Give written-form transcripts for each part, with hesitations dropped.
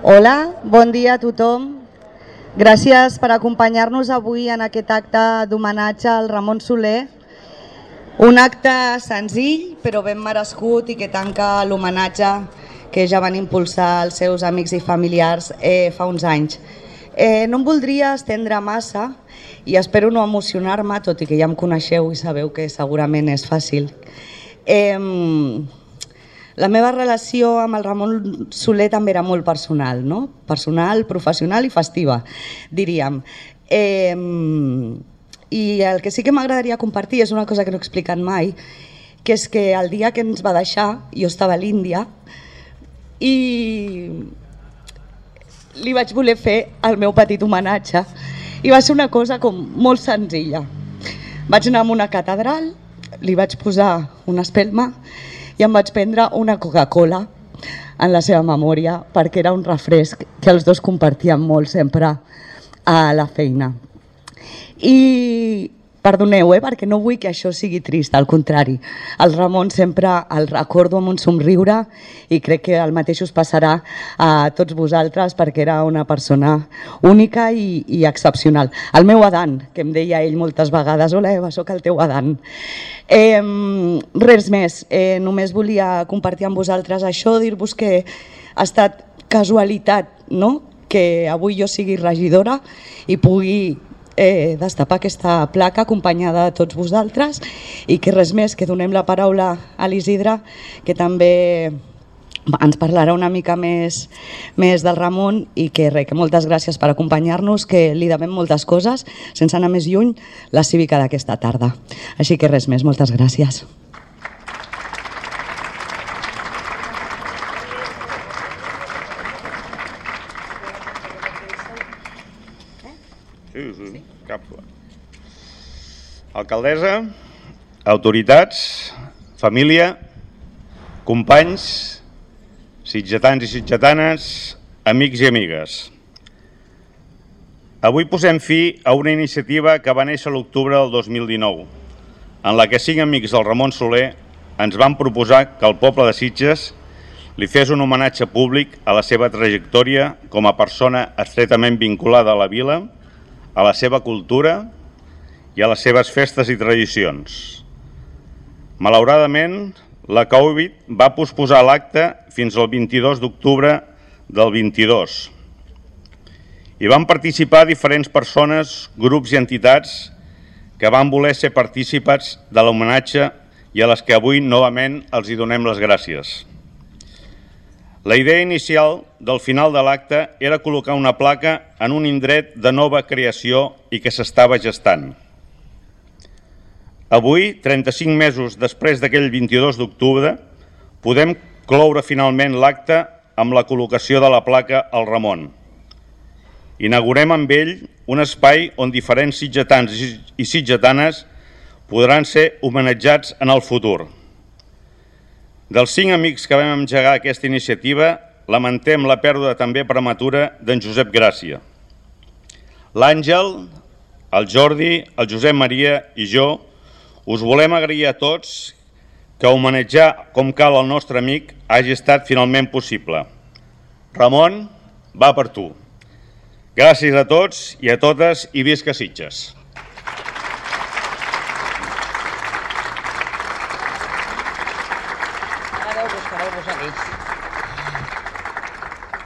Hola, bon dia a tothom. Gràcies per acompanyar-nos avui en aquest acte d'homenatge al Ramon Soler. Un acte senzill però ben merescut i que tanca l'homenatge que ja van impulsar els seus amics i familiars fa uns anys. No em voldria estendre massa i espero no emocionar-me, tot i que ja em coneixeu i sabeu que segurament és fàcil. La meva relació amb el Ramon Soler també era molt personal, no? Personal, professional i festiva, diríem. I el que sí que m'agradaria compartir és una cosa que no he explicat mai, que és que el dia que ens va deixar, jo estava a l'Índia i li vaig voler fer el meu petit homenatge i va ser una cosa com molt senzilla. Vaig anar a una catedral, li vaig posar una espelma i em vaig prendre una Coca-Cola en la seva memòria perquè era un refresc que els dos compartíem molt sempre a la feina. I perdoneu, perquè no vull que això sigui trist, al contrari. El Ramon sempre el recordo amb un somriure i crec que el mateix us passarà a tots vosaltres perquè era una persona única i excepcional. El meu Adan, que em deia ell moltes vegades, hola Eva, soc el teu Adan. Res més, només volia compartir amb vosaltres això, dir-vos que ha estat casualitat, no?, que avui jo sigui regidora i pugui destapar aquesta placa acompanyada de tots vosaltres i que res més, que donem la paraula a l'Isidre, que també ens parlarà una mica més del Ramon i que moltes gràcies per acompanyar-nos, que li devem moltes coses, sense anar més lluny, la cívica d'aquesta tarda. Així que res més, moltes gràcies. Sí, cap. Alcaldessa, autoritats, família, companys, sitgetans i sitgetanes, amics i amigues. Avui posem fi a una iniciativa que va néixer a l'octubre del 2019, en la que 5 amics del Ramon Soler ens van proposar que el poble de Sitges li fes un homenatge públic a la seva trajectòria com a persona estretament vinculada a la vila, a la seva cultura i a les seves festes i tradicions. Malauradament, la Covid va posposar l'acte fins al 22 d'octubre del 22. Hi van participar diferents persones, grups i entitats que van voler ser partícips de l'homenatge i a les que avui novament els hi donem les gràcies. La idea inicial del final de l'acte era col·locar una placa en un indret de nova creació i que s'estava gestant. Avui, 35 mesos després d'aquell 22 d'octubre, podem cloure finalment l'acte amb la col·locació de la placa al Ramon. Inaugurem amb ell un espai on diferents sitgetans i sitgetanes podran ser homenatjats en el futur. Dels 5 amics que vam engegar aquesta iniciativa, lamentem la pèrdua també prematura d'en Josep Gràcia. L'Àngel, el Jordi, el Josep Maria i jo us volem agrair a tots que homenatjar com cal el nostre amic hagi estat finalment possible. Ramon, va per tu. Gràcies a tots i a totes i visca Sitges.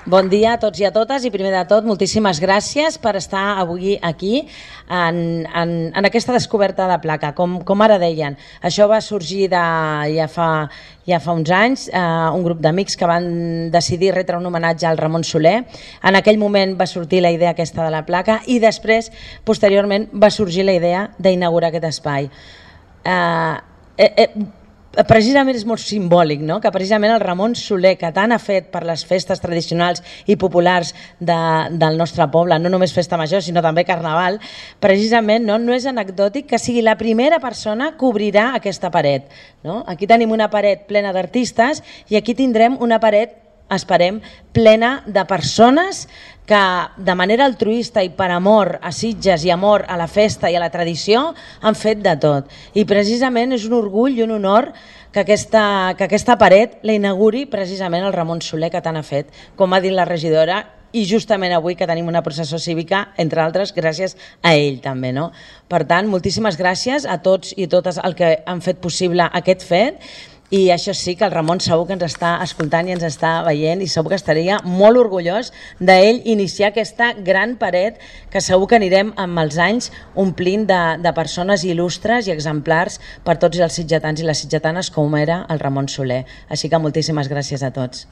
Bon dia a tots i a totes i primer de tot moltíssimes gràcies per estar avui aquí en aquesta descoberta de placa. Com ara deien, això va sorgir ja fa uns anys, un grup d'amics que van decidir retre un homenatge al Ramon Soler. En aquell moment va sortir la idea aquesta de la placa i després, posteriorment, va sorgir la idea d'inaugurar aquest espai. Precisament és molt simbòlic, no?, que precisament el Ramon Soler, que tant ha fet per les festes tradicionals i populars del nostre poble, no només festa major sinó també carnaval, precisament no és anecdòtic que sigui la primera persona que obrirà aquesta paret. Aquí tenim una paret plena d'artistes i aquí tindrem una paret esperem, plena de persones que de manera altruista i per amor a Sitges i amor a la festa i a la tradició han fet de tot. I precisament és un orgull i un honor que aquesta paret la inauguri precisament el Ramon Soler, que tant ha fet, com ha dit la regidora, i justament avui que tenim una processó cívica, entre altres, gràcies a ell també. No? Per tant, moltíssimes gràcies a tots i totes el que han fet possible aquest fet, i això sí que el Ramon segur que ens està escoltant i ens està veient i segur que estaria molt orgullós d'ell iniciar aquesta gran paret que segur que anirem amb els anys omplint de persones il·lustres i exemplars per tots els sitgetans i les sitgetanes com era el Ramon Soler. Així que moltíssimes gràcies a tots.